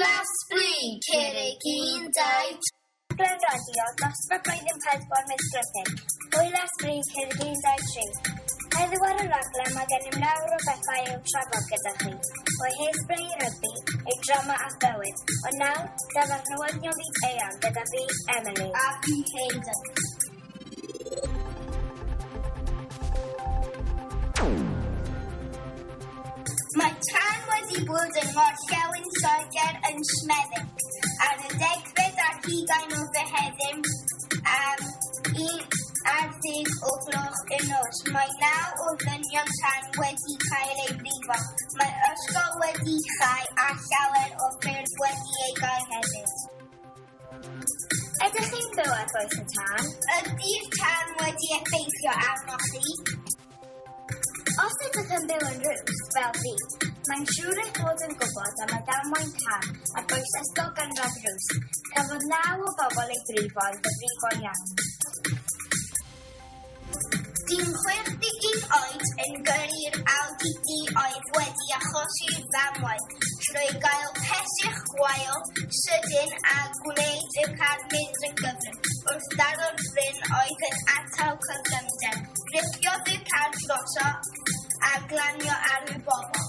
Hwyl a sbri, Cerrig 1, 2, Rhaglen radio dosbarth blwyddyn 4 Miss Griffin. Hwyl a sbri, Cerrig 1, 2, 3. Heddiw ar y raglen mae gennym lawer o bethau i'w trafod gyda chi. O hairspray i rygbi, i drama a bywyd. Ond nawr, dyma'r newyddion byd eang gyda fi, Emily. A fi, Hayden. Mae tân wedi bod yng Ngorllewin Lloegr yn Smethwick ar y 20 o Fehefin am 11 o gloch y nos. Mae 9 o ddynion tân wedi cael eu brifo. Mae ysgol wedi chau a llawer o ffyrdd wedi eu gau hefyd. Ydych chi'n byw ar bwys y tân? Ydy'r tân wedi effeithio arnoch chi? Os ydych yn byw yn Rws, fel fi, mae'n siŵr eich bod yn gwybod am y damwain tân ar bwys ysgol gynradd Rws. Cafodd 9 o bobl eu brifo yn ddifrifol iawn. Dyn 61 oed yn gyrru'r Audi D oedd wedi achosi'r ddamwain trwy gael pesych gwael sydyn a gwneud y car mynd yn gyflym. Wrth daro'r bryn oedd yn atal cyflymder, gripiodd y car droso a glanio ar y bobl.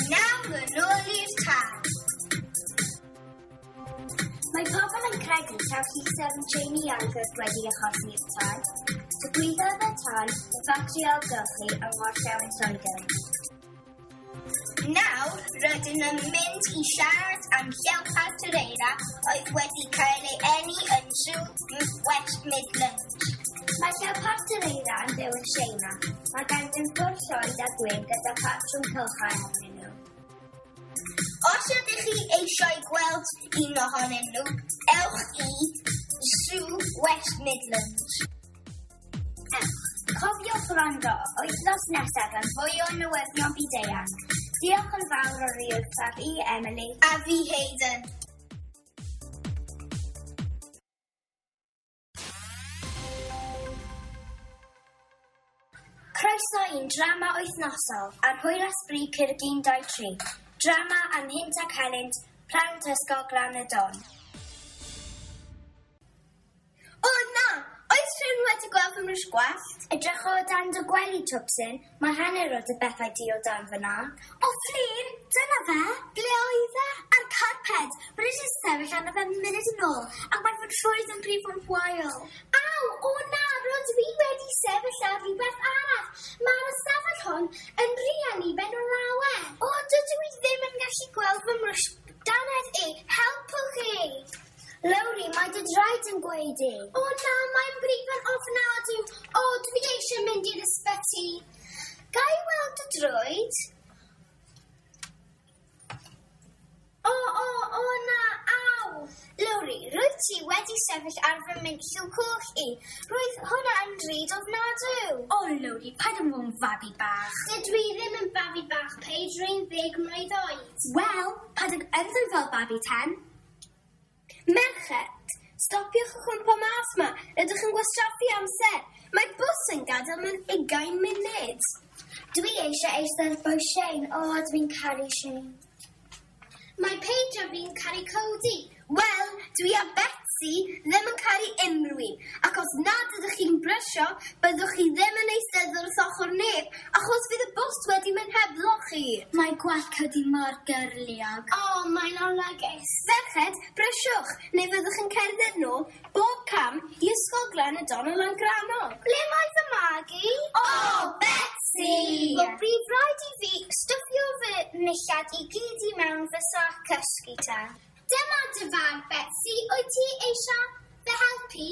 Nawr yn ôl i'r tân. Mae pobl yn credu taw llusern Jamie Iogurt wedi achosi'r tân. Digwyddodd y tân yn ffatri ailgylchu yng Ngorllewin Lloegr. Nawr, rydyn yn mynd i siarad am Llewpart yr Eira oedd wedi cael ei eni yn Sŵ West Midlands. Mae Llewpart yr Eira yn byw yn Tsieina. Mae ganddynt ffwr llwyd a gwyn gyda patrwm cylchau arnyn nhw. Os ydych chi eisiau gweld un ohonyn nhw, ewch i Sŵ West Midlands. Ewch. Cofiwch wrando wythnos nesaf am fwy o newyddion byd-eang. Diolch yn fawr o wrthaf i Emily. A fi, Hayden. Croeso i'n drama wythnosol ar Hwyl a Sbri Cyrg 1, 2, 3. Drama am hynt ac helynt, plant ysgol Glan y Don. O na! Oes rhywun wedi gweld fy mrwsh gwallt? Edrych o dan dy gwely, Twpsyn. Mae hanner o dy bethau di o dan fyna. O, Fflur! Dyna fe! Ble oedd e? Ar carped! Mae wedi sefyll arno fe munud yn ôl, ac mae fy nhrwyd yn brifo'n wael. Aw! O na! Rydw i wedi sefyll ar rhywbeth arall. Mae'r ystafell hon yn rhy anniben o lawer. O, dydw i ddim yn gallu gweld fy mrwsh dannedd i. Helpwch chi! Lowri, mae dy draed yn gwaedu. O na, mae'n brifo'n ofnadw. O, dwi eisiau mynd i'r ysbyty. Ga i weld dy droed? O, o, o na, aw! Lowri, rwyt ti wedi sefyll ar fy minllw coch i. Roedd hwnna yn drud ofnadw. O, Lowri, paid yn fod yn fabi bach. Dydw i ddim yn babi bach, Paige, rwy'n 10 mlwydd oed. Wel, paid ag ymddwyn fel babi ten. Merched, stopiwch y chwmpo mas ma. Rydych yn gwastraffu amser. Mae'r bws yn gadael mewn 20 munud. Dwi eisiau eistedd bwys Shane. O, dwi'n caru Shane. Mae Paige a fi'n caru Cody. Wel, dwi a Betsy ddim yn caru unrhyw un. Ac os nad ydych chi'n brysio, byddwch chi ddim yn eistedd wrth ochr neb, achos fydd y bws wedi mynd hebddo chi. Mae gwallt Cody mor gyrliog. O, mae'n olygus. Ferched, brysiwch, neu fyddwch yn cerdded nôl bob cam i Ysgol Glan y Don o Langrannog. Ble mae fy magu? O, Betsy! Wel, brif rhaid i fi stwffio fy nillad i gyd i mewn fy sac cysgu ta. Dyma dy fag, Betsy. Wyt ti eisiau fy helpu?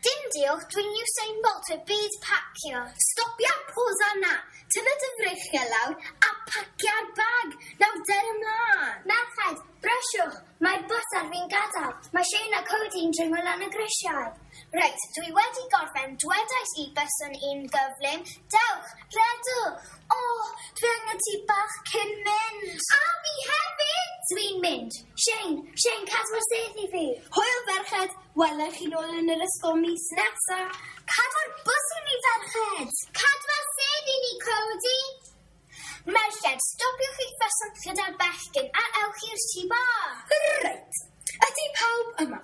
Dim diolch, dwi'n Usain Bolt y byd pacio. Stopia posa na. Tynna dy freichiau lawr a pacia'r bag. Nawr der ymlaen. Merched, brysiwch. Mae'r bws ar fi'n gadael. Mae Shane a Cody'n dringo lan y grisiau. Reit, dwi wedi gorffen. Dwedais i byswn i'n gyflym. Dewch, redwch. O, dwi angen ti bach cyn mynd. A fi hefyd! Dwi'n mynd. Shane, Shane, cadw'r sedd i fi. Hwyl ferched, welai chi nôl yn yr ysgol mis nesa. Cadw'r bws i ni, ferched. Cadw'r sedd i ni, Cody. Merched, stopiwch eich ffysion gyda'r bechgyn a ewch i'r tŷ bach. Reit, ydy pawb yma?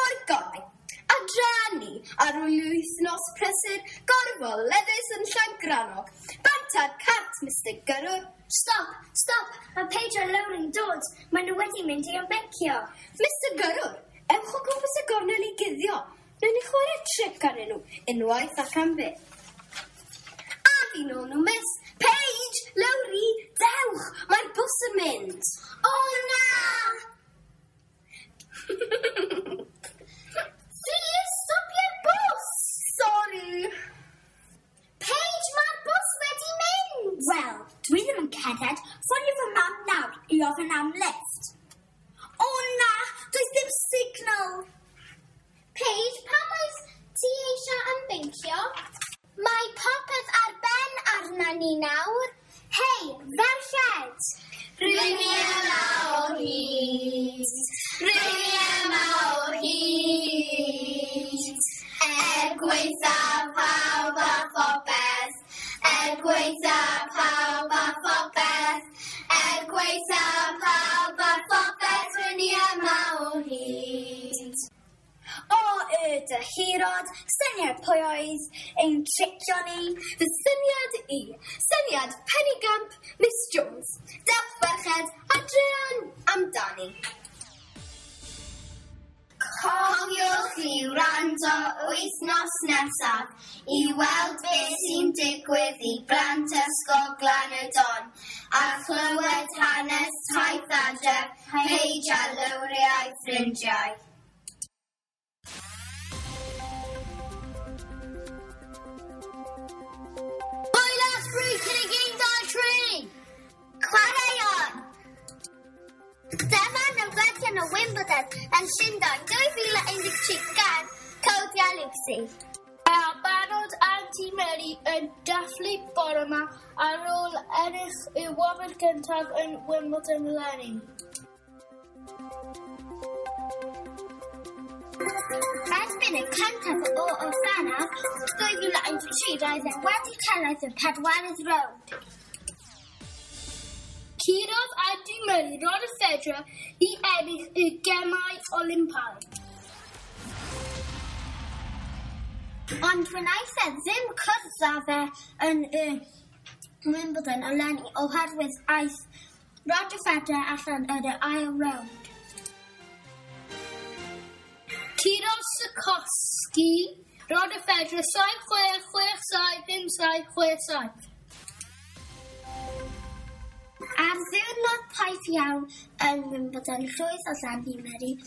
O'r gorau, adra ni ar ôl wythnos prysur gorfoleddus yn Llangrannog. Bant ar cart, Mr Gyrrwr. Stop, stop, mae Paige a Lowry'n dod. Maen nhw wedi mynd i ymbencio. Mr Gyrrwr, ewch o gwmpas y gornel i guddio. Wnawn ni chwarae tric arnyn nhw, unwaith ac am byth. A fi nôl nhw, miss. Paige, Lowry, dewch, mae'r bws yn mynd. O na! Please, stopio'r bws! Sorry. Paige, mae'r bws wedi mynd! Wel, dwi ddim yn cerdded. Ffonio fy mam nawr i ofyn am lift. O na, does dim signal. Paige, pam oes ti eisiau ymbencio? Mae popeth ar ben arna ni nawr. Hei, ferched! Rwy ni yma o hyd. Rwy ni yma o hyd. Er gwaethaf pawb a phopeth. Er gwaethaf pawb a phopeth. Er gwaethaf pawb a phopeth. Rwy ni yma o hyd. O, y dyhirod, syniad pwy oedd ein tricio ni. Fy syniad i, syniad penigamp Miss Jones. Dewch ferched a druan amdani. Cofiwch i wrando wythnos nesaf i weld beth sy'n digwydd i blant Ysgol Glan y Don a chlywed hanes taith adref Paige a Lowry a'i ffrindiau. Hwyl Asbri cyn y 1, 2, 3! Chwaraeon! Dyma newyddion o Wimbledon yn Llundain 2013 gan Cody a Lucy. Mae'r barod Andy Murray yn dathlu bore yma ar ôl ennill y wobr gyntaf yn Wimbledon eleni. Erbyn y cyntaf o Orffennaf 2013 roedd e wedi cyrraedd y pedwerydd rownd. Curodd Andy Murray Roger Federer i ennill y Gemau Olympaidd. Ond wnaeth e ddim cwrdd â fe yn y Wimbledon eleni oherwydd aeth Roger Federer allan yn y ail rownd. Curodd Sikorsky Roger Federer 7-6, 6-7, 5-7, 6-7. Ar ddiwrnod poeth iawn yn Wimbledon, llwyddodd Andy Murray i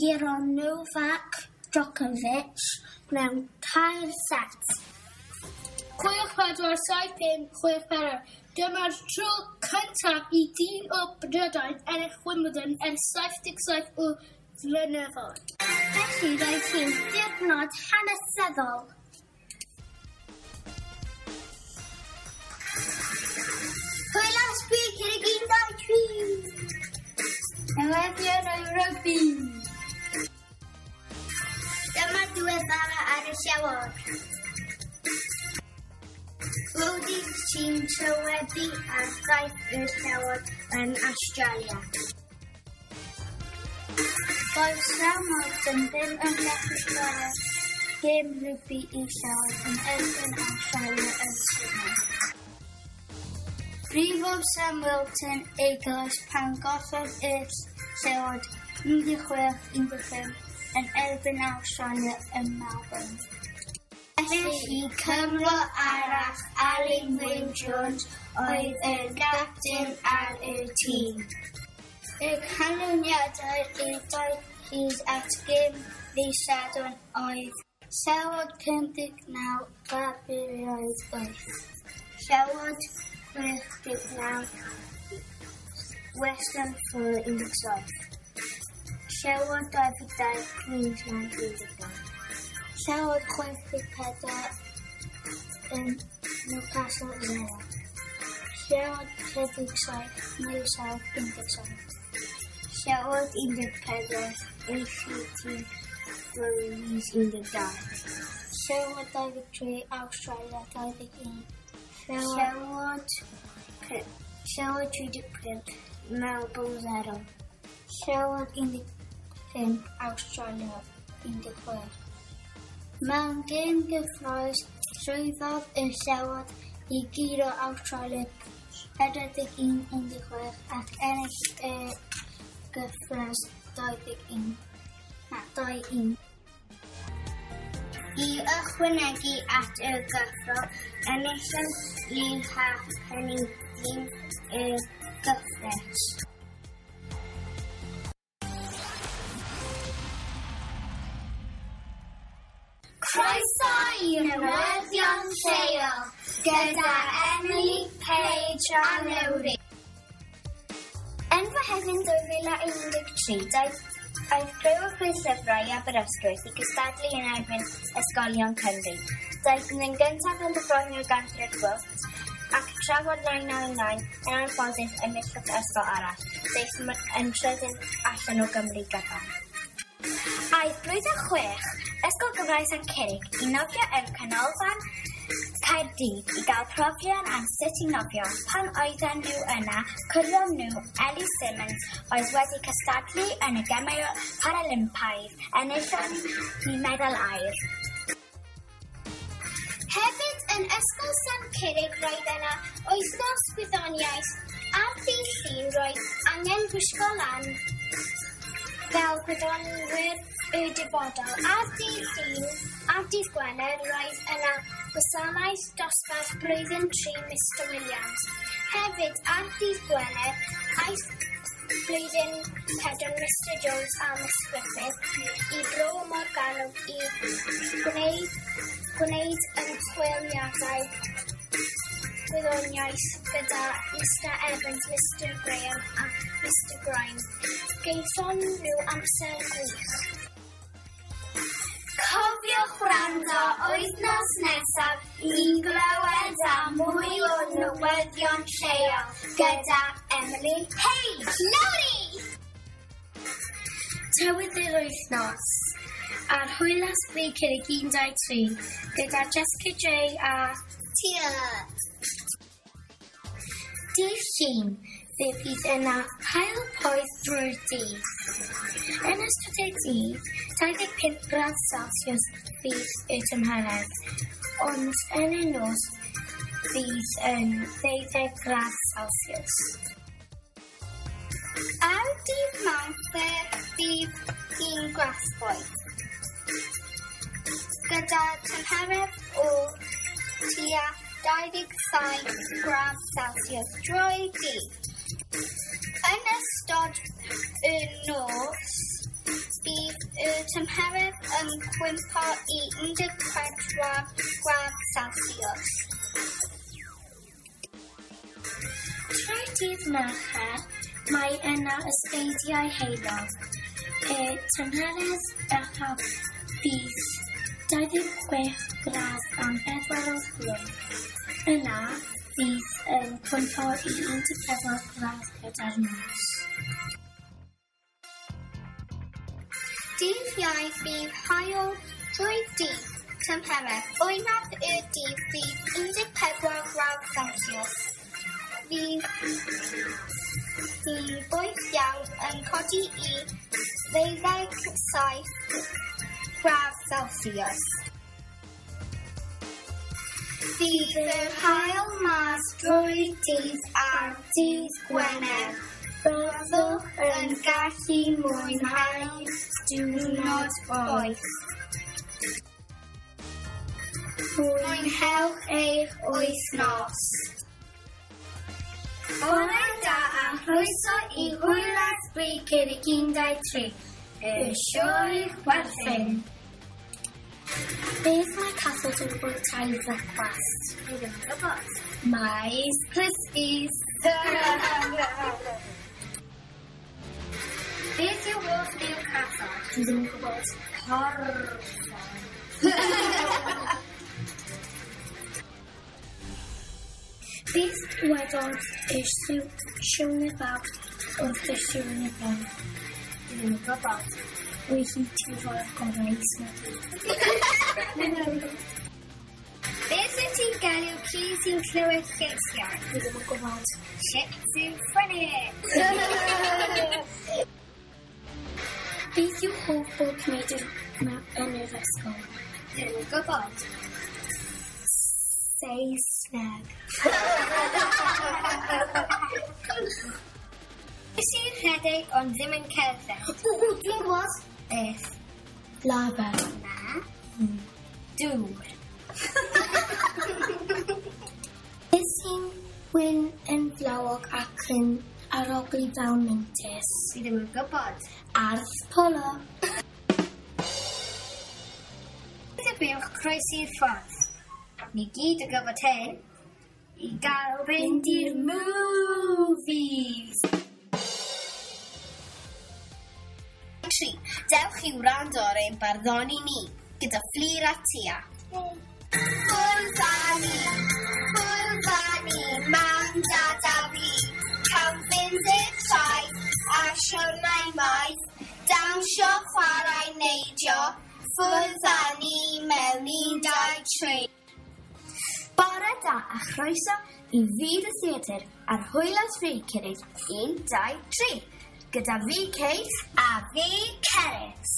guro Novak Djokovic mewn tair set. 6-4, 7-5, 6-4. Dyma'r tro cyntaf i dyn o Brydain ennill Wimbledon ers 77 o flynyddoedd. Felly roedd hi'n diwrnod hanesyddol. Hwyl am sbri cyn y 1, 2, 3! Newyddion o'i rygbi! Dyma diweddara ar y llewod. Rodi sy'n trywebu ar daith y llewod yn Australia. Doedd Sam Morton ddim yn gallu chwarae gêm rygbi i Llewod yn erbyn Australia yn Sydney. Brifodd Sam Wilton ei goes pan gollodd y Llewod 16-15 yn erbyn Australia yn Melbourne. Felly Cymro arall Alun Wyn Jones oedd y gapten ar y tîm. Y canlyniadau i'r daith hyd at gêm ddydd Sadwrn oedd Llewod 59, Barbariaid 8. Llewod 69, Western Force 17. Llewod 22, Queensland 19. Llewod 64 yn Newcastle 0. Llewod 37, New South 17. Llewod 14, ACT Breweries 12. Llewod 23, Australia 21. Llewod Llewod 15. Llewod 35, Melbourne 0. Llewod 15, Australia 16. Mewn gêm gyffrous, llwyddodd y Llewod i guro Awstralia 41-16 ac ennill y gyfres 21. Na, 2-1. I ychwanegu at y gyffro, enillodd Lee Halfpenny dîm y gyfres. Croeso i newyddion lleol gyda Emily, Paige a Lowri. Yn Fehefin 2013, daeth criw o chwe llyfrau i Aberystwyth i gystadlu yn erbyn ysgolion Cymru. Daeth yn gyntaf yn y Gantref Gwyllt ac tra fod 999 yn anffodus enillodd ysgol arall. Daeth yn trydydd allan o Gymru gyfan. Aeth blwyddyn 6, Ysgol Gymraeg Sant Curig i nofio yn Canolfan Caerdydd i gael profion am sut i nofio. Pan oedden nhw yna, cwrddon nhw Ellie Simmons oedd wedi cystadlu yn y Gemau Paralympaidd, enillon hi medal aur. Hefyd yn Ysgol Sant Curig roedd yna wythnos gwyddoniaeth. Ar ddydd Llun roedd angen gwisgo lan fel gwyddonwyr y dyfodol. Ar ddydd Llun, ar dydd Gwener, roedd yna gwasanaeth dosbarth blwyddyn 3 Mr Williams. Hefyd, ar dydd Gwener, aeth blwyddyn 4 Mr Jones a Miss Griffith i Bro Morgannwg i gwneud ymchwiliadau gwyddoniaeth gyda Mr Evans, Mr Graham a Mr Grime. Gaethon nhw amser gwych. Cofiwch wrando wythnos nesaf i glywed am mwy o newyddion lleol gyda Emily Page. Lowri! Tywydd yr wythnos ar Hwyl a Sbri Curig 1, 2, 3 gyda Jessica J a Tia. Dydd Llun, fe fydd yna haul poeth drwy'r dydd. Yn ystod y dydd, 25 gradd Celsius fydd y tymheredd, ond yn y nos fydd yn 12 gradd Celsius. Ar dydd Mawrth fe fydd hi'n grasboeth, gyda tymheredd o tua 27 gradd Celsius drwy'r dydd. Yn ystod y nos, bydd y tymheredd yn cwympo i 14 gradd Celsius. Trwy dydd Mercher, mae yna ysbeidiau heulog. Y tymheredd uchaf fydd 26 gradd am 4 o'r gloch. Yna fydd yn cwympo i 14 gradd gyda'r nos. Dydd Iau fydd haul drwy'r dydd, tymheredd oeraf y dydd fydd 14 gradd Celsius. Fydd hi'n boeth iawn yn codi i 27 gradd Celsius. Fydd yr haul mas drwy'r dydd ar dydd Gwener. Byddwch yn gallu mwynhau diwrnod poeth. Mwynhewch eich wythnos. Bore da a chroeso i Hwyl a Sbri Curig 1, 2, 3, y sioe chwerthin. Beth mae cathod yn bwyta i frecwast? Dwi ddim yn gwybod. Mais Krispies. Beth yw hoff liw cathod? Dwi ddim yn gwybod. Porffor. Beth dywedodd y Siwrne Fawr wrth y Siwrne Fawr? Dwi ddim yn gwybod. Wy hi ti'n rhoi'r gorau i smygu. Beth wyt ti'n galw ci sy'n clywed lleisiau? Fi ddim yn gwybod. Schizophrenic. Beth yw hoff bob gwneud yn yr ysgol? Ddim yn gwybod. Saesneg. Beth sy'n rhedeg ond ddim yn cerdded? O, dwi'n gwybod. Beth? Lava. Na. Dŵr. Beth sy'n wyn yn flawog ac yn arogli fel mintys? Fi ddim yn gwybod. Ardd polo. Beth yw buwch croesi'r ffordd? Ni gyd yn gwybod hyn. I gael fynd i'r movies. 3. Dewch i wrando ar ein barddoni ni, gyda Fflur a Tia. Ffwrdd â ni, ffwrdd â ni, mam, dad a fi. Cawn fynd i'r traeth a siwrnai maith, dawnsio, chwarae, neidio, ffwrdd â ni mewn 1, 2, 3. Bore da a chroeso i fyd y theatr ar Hwyl a Sbri Cyrraedd 1, 2, 3 gyda fi Kate a fi Cerys.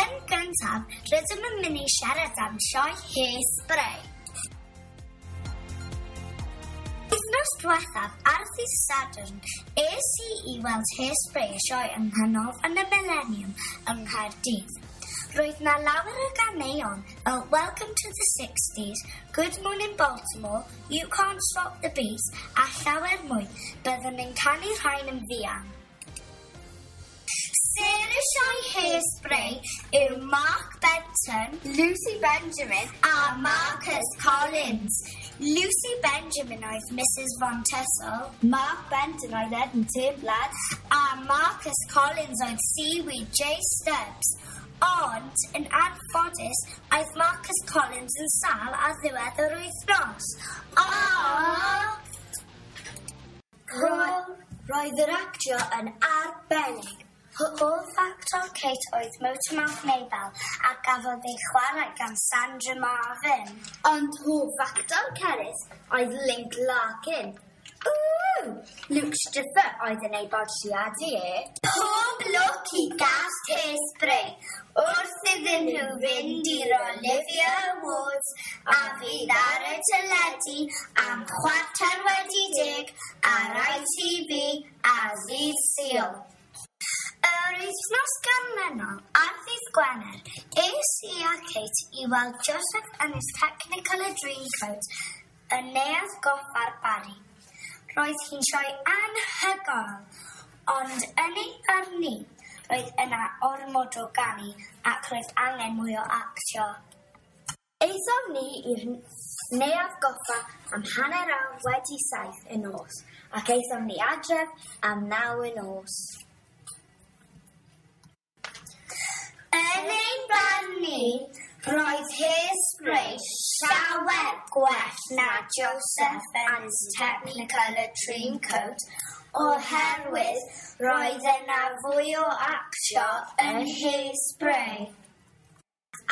Yn gyntaf, rydym yn mynd i siarad am sioe Hairspray. Wythnos diwethaf, ar ddydd Sadwrn, es i i weld Hairspray y sioe yng Nghanolfan y Millennium yng Nghaerdydd. Roedd na lawer o ganeuon fel Welcome to the 60s, Good Morning Baltimore, You Can't Stop the Beat a llawer mwy. Byddwn yn canu rhain yn fuan. Sêr y sioe Hairspray yw Mark Benton, Lucy Benjamin a Marcus Collins. Lucy Benjamin oedd Mrs Von Tussle, Mark Benton oedd Ed Turnblad a Marcus Collins oedd Seaweed J Stubbs. Ond, yn anffodus, aeth Marcus Collins yn sâl ar ddiwedd yr wythnos. Roedd yr actio yn arbennig. Hoff actor Kate oedd Motormouth Maybelle a gafodd ei chwarae gan Sandra Marvin. Ond hoff actor Cerys oedd Link Larkin. Ww! Luke Stripper oedd yn ei bodlediadu e. Pob lwc i gast Hairspray wrth iddyn nhw fynd i'r Olivier Awards a fydd ar y teledu am 10:15 ar ITV a ddydd Sul. Yr wythnos ganlynol, ar ddydd Gwener, es i a Kate i weld Joseph and his Technicolor Dreamcoat yn Neuadd Goffa'r Barri. Roedd hi'n sioe anhygoel, ond yn ei barn ni, roedd yna ormod o ganu ac roedd angen mwy o actio. Aethom ni i'r Neuadd Goffa am 7:30 y nos ac aethom ni adref am 9 y nos. Yn ein barn ni, roedd Hairspray llawer gwell na Joseph and his Technicolor Dreamcoat oherwydd roedd yna fwy o actio yn Hairspray.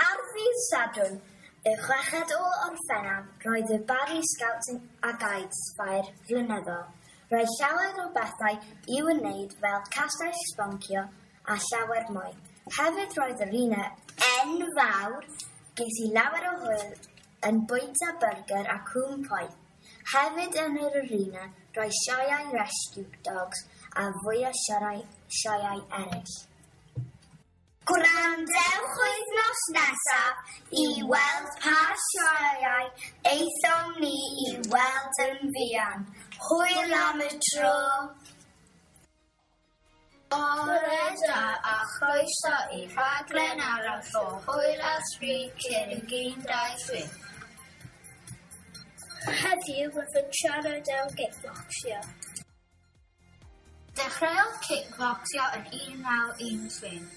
Ar ddydd Sadwrn, y 6 o Orffennaf, roedd y Barry Scouts a Guides Ffair flynyddol. Roedd llawer o bethau i'w wneud fel castell sboncio a llawer mwy. Hefyd roedd yr un enfawr, ges i lawer o hwyl yn bwyta byrgyr a cŵn poeth. Hefyd yn yr arena roedd sioeau rescue dogs a fwy o sioeau eraill. Gwrandewch wythnos nesaf i weld pa sioeau aethom ni i weld yn fuan. Hwyl am y tro! Bore da a chroeso i rhaglen arall o Hwyl a Sbri cyn 1, 2, 3. Heddiw byddwn yn siarad am kickboxio. Dechreuodd kickboxio yn 1913.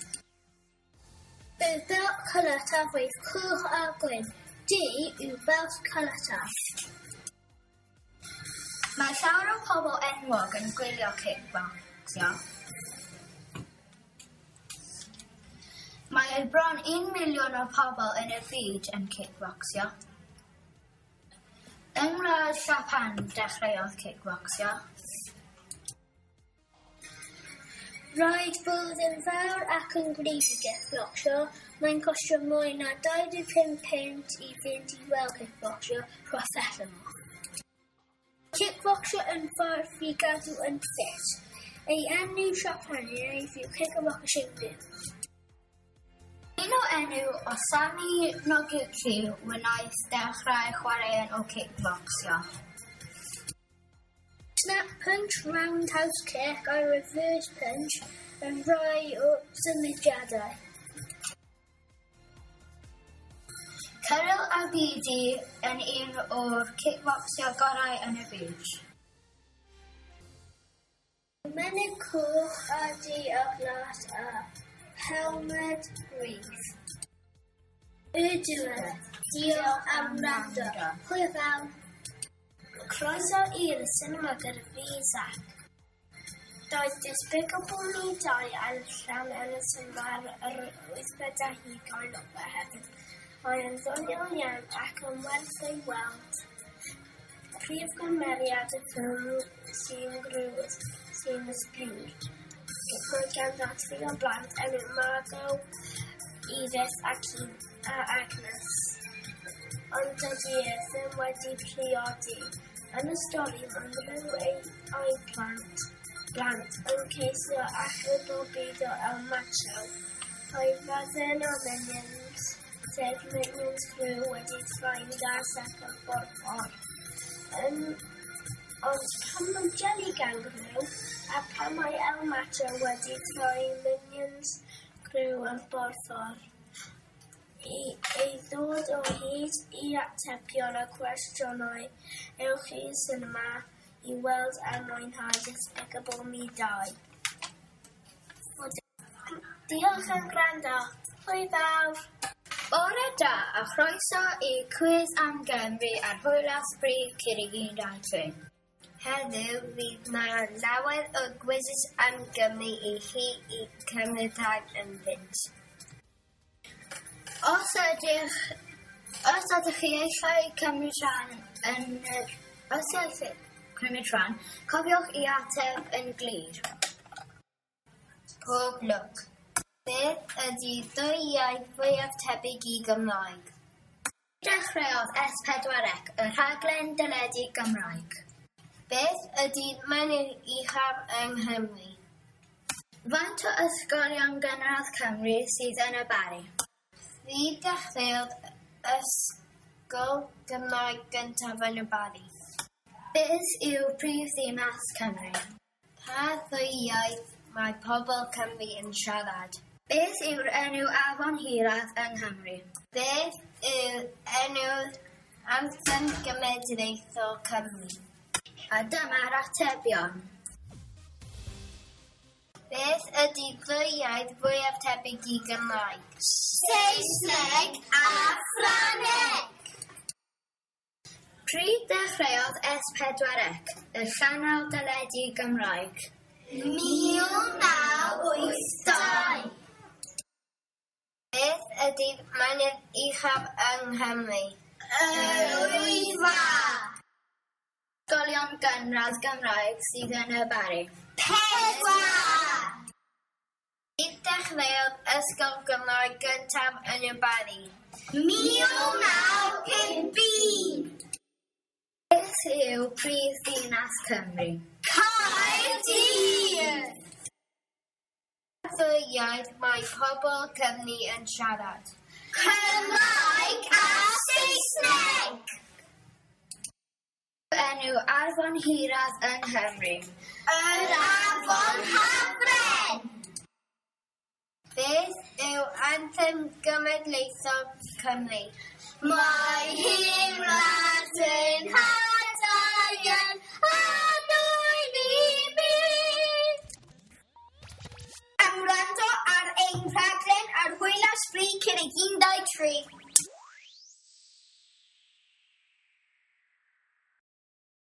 Y belt caletaf oedd coch a gwyn. Du yw belt caletaf. Mae llawer o pobl enwog yn gwylio kickboxio. Mae bron 1 miliwn o pobl yn y byd yn kickboxio. Yng Ngwlad Japan dechreuodd cicbocsio. Rhaid bod yn fawr ac yn gryf i gicbocsio. Mae'n costio mwy na 25 punt i fynd i weld cicbocsio proffesiynol. Cicbocsio yn ffordd i gadw yn ffit. Ei enw Siapanaidd yw Kickboxing. Un o enw Osamu Noguchi wnaeth dechrau chwaraeon o cicbocsio. Snap punch, roundhouse kick a reverse punch yn rhai o symudiadau. Cyril Abidi yn un o'r cicbocsio gorau yn y byd. Menyg coch a du a glas a helmed gryf. Y diwedd. Diolch am wrando. Hwyl fawr. Croeso i'r sinema gyda fi, Zach. Doedd Despicable Me 2 allan yn y sinema ar yr wythfed ar hugain o Fehefin. Mae yn ddoniol iawn ac yn werth ei weld. Prif gymeriad y ffilm sy'n grŵd sy'n ysbryd. Mae ganddo tri o blant enw Margot, Edith ac a Agnes. Ond dydy e ddim wedi priodi. Yn y stori mae nhw ei plant, blant yn ceisio achub o byd o El Macho. Mae fyddin o Minions, sef Minions Crew wedi troi'n gas ac yn borffor. Ond pan mae Jelly Gang Crew a pan mae El Macho wedi troi Minions Crew yn borffor i ddod o hyd i atebion y cwestiynau, ewch i'r sinema i weld a mwynhau Despicable Me 2. Diolch am gwrando. Hwyl fawr! Bore da a chroeso i Cwis am Gymru ar Hwyl a Sbri Curig 1, 2, 3. Heddiw fydd 'na lawer o gwises am Gymru i chi i cymryd rhan ynddynt. Os ydych chi eisiau cymryd rhan yn yr os ydych cymryd rhan, cofiwch i ateb yn glir. Pob lwc. Beth ydy ddwy iaith fwyaf tebyg i Gymraeg? Dechreuodd S4C y rhaglen deledu Gymraeg. Beth ydy mynydd uchaf yng Nghymru? Faint o ysgolion gynradd Cymru sydd yn y Barri? Pryd dechreuodd ysgol Gymraeg gyntaf yn y Barri? Beth yw prif ddinas Cymru? Pa ddwy iaith mae pobl Cymru yn siarad? Beth yw'r enw afon hiraf yng Nghymru? Beth yw'r enw anthem genedlaethol Cymru? A dyma'r atebion. Beth ydy ddwy iaith fwyaf tebyg i Gymraeg? Saesneg a Ffrangeg! Pryd dechreuodd S4C, y sianel deledu Gymraeg? 1982. Beth ydy'r mynydd uchaf yng Nghymru? Yr Wyddfa! Ysgolion gynradd Gymraeg sydd yn y Barri. 4! Pryd dechreuodd ysgol Gymraeg gyntaf yn y Barri? 1951. Beth yw prif ddinas Cymru? Caerdydd! Pa ddwy iaith mae pobl Cymru yn siarad? Cymraeg a Saesneg! Enw afon hiraf yng Nghymru. Yr Afon Hafren! Beth yw anthem genedlaethol Cymru? Mae hi'n wlad yn hadau yn annwyl i mi. Am wrando ar ein rhaglen ar Hwyl a Sbri Curig 1, 2, 3.